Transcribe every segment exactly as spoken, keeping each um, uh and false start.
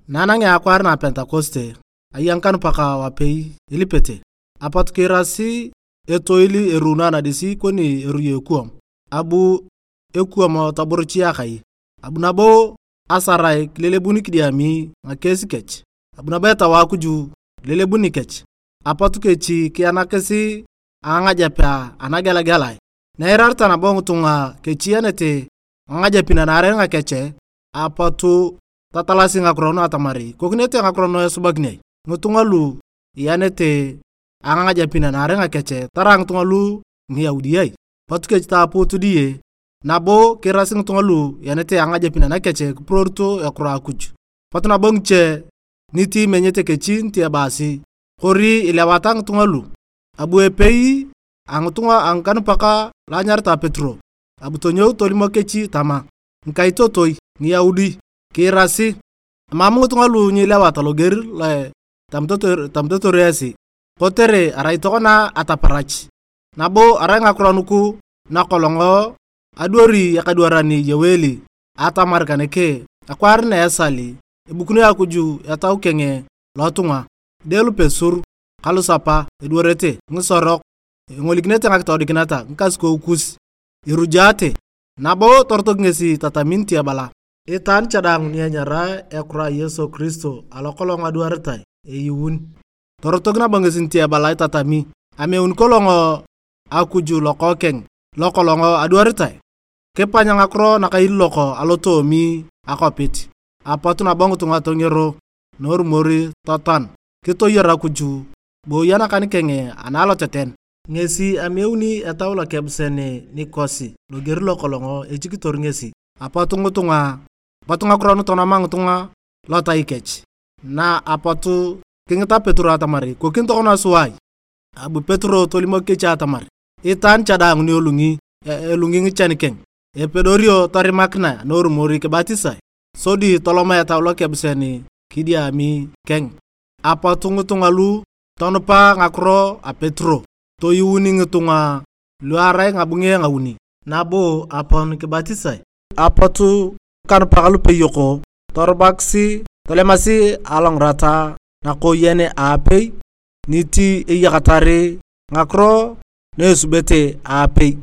Na anangea akwaar na Pentekoste, aya ngikanupak wapei ilipete, apot kiirasi etoil eruuno anadis koni eruyo ekuwam, abu ekuwam toburuchi akai, abu nabo asarae kilelebun kidiami ngakies kech, abu nabo Etau a Akuj lelebun nikech, apot kechi kianakis a ngangajep anagelegelae. Na eirareta nabo ngitunga kechi ianete ngangajepin anaarei ngakech, apot tatalasi ngakiro nu atamar ikokinete ngakiro nu esubakin ai. Ngitunga lu ianete a ngangajepin anaarei ngakech tarai ngitunga lu Ngiyaudi ai. Apot kechi taapuut diye, nabo kiirasi ngitunga lu ianete a ngangajepin anakech kipuroorito ekiro a Akuj. Apot nabo ngiche niti imenyete kechi niti ebaasi, kori ilewata ngitunga lu. Abu epei a ngitunga a ngikanupak lo anyaritae Petero, abu tonyou tolimok kechi tama, "Ngikaitotoi Ngiyaudi, kiirasi, emam ngitunga lu nyilewata loger lo etamitotor esi, kotere arai tokona ataparach, nabo arai ngakiro nugu nakolong adwari ekadwaran Yoeli atamar kaneke, akwaar na esal ebukuni Akuj Etau keng lotunga, ngide lupesur ka lusapa edwarete ngisorok, engolikinete ngakitoodikinet ngikasukou kus, irujaate." Nabo torotok ngesi tatami niti ebala, "Itaan cha daang ni enyara ekiro a Yesu Kiristo alo kolong adwaritae, eyuun." Torotok nabo ngesi niti ebala itatami, "Ameun kolong Akuj Lokookeng lo kolong adwaritae. Kipany ngakiro nakailiilok alotoomi akwapit." Apot nabo ngitunga tongero norumor totoan, kitoyor Akuj, booyi anakan keng ana aloteten. Ngesi ameuni Etau Lokebuseni nikosi loger lokolong echikitor ngesi. Apot ngitunga, apot ngakiro nu tonoma ngitunga lotai kech. Na apot kingita Petero atamar, "Ikokin tokona sua ai?" Abu Petero tolimok kechi atamar, "Itaan cha daang ni elungi, e-, elungi ngichan keng, epedorio torimakinae norumor kibatisae, sodi toloma Etau Lokebuseni kidiami keng." Apot ngitunga lu tonupa ngakiro a Petero, toyuuni ngitunga lu arai ngabunge ngauni, nabo apon kibatisae. Apot ngikanupak lupeyok torubakis tolemasi alongirata nakooyen aapei, niti eyakatar ngakiro na esubete aapei.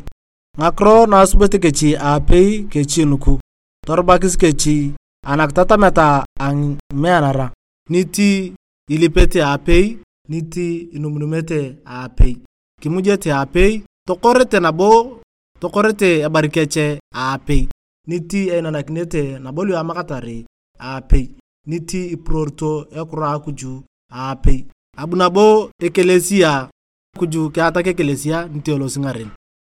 Ngakiro na asubete kechi aapei kechi nugu, torubakis kechi anakitatamet a ngimeanara, niti ilipete aapei, niti inumunumete aapei, kimujete aapei, tokorete nabo, tokorete ebar kech aapei, niti einanakinete nabo lu amakatar aapei, niti ipuroorito ekiro a Akuj aapei. Abu nabo ekelesia, Akuj kiatak ekelesia niti elosi ngaren.